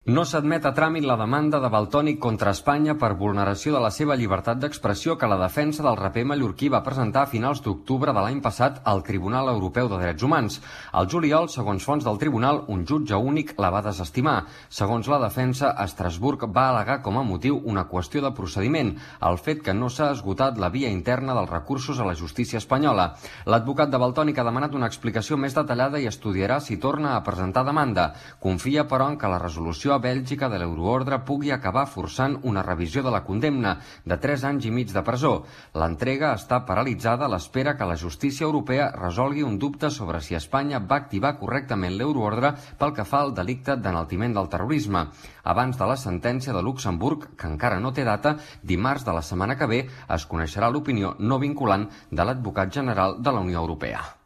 No s'admet a tràmit la demanda de Valtònyc contra Espanya per vulneració de la seva llibertat d'expressió que la defensa del raper mallorquí va presentar a finals d'octubre de l'any passat al Tribunal Europeu de Drets Humans. Al juliol, segons fonts del tribunal, un jutge únic la va desestimar. Segons la defensa, Estrasburg va al·legar com a motiu una qüestió de procediment, el fet que no s'ha esgotat la via interna dels recursos a la justícia espanyola. L'advocat de Valtònyc ha demanat una explicació més detallada i estudiarà si torna a presentar demanda. Confia, però, en que la resolució a Bèlgica de l'euroordre pugui acabar forçant una revisió de la condemna de 3 anys i mig de presó. L'entrega està paralitzada a l'espera que la justícia europea resolgui un dubte sobre si Espanya va activar correctament l'euroordre pel que fa al delicte d'enaltiment del terrorisme. Abans de la sentència de Luxemburg, que encara no té data, dimarts de la setmana que ve es coneixerà l'opinió no vinculant de l'advocat general de la Unió Europea.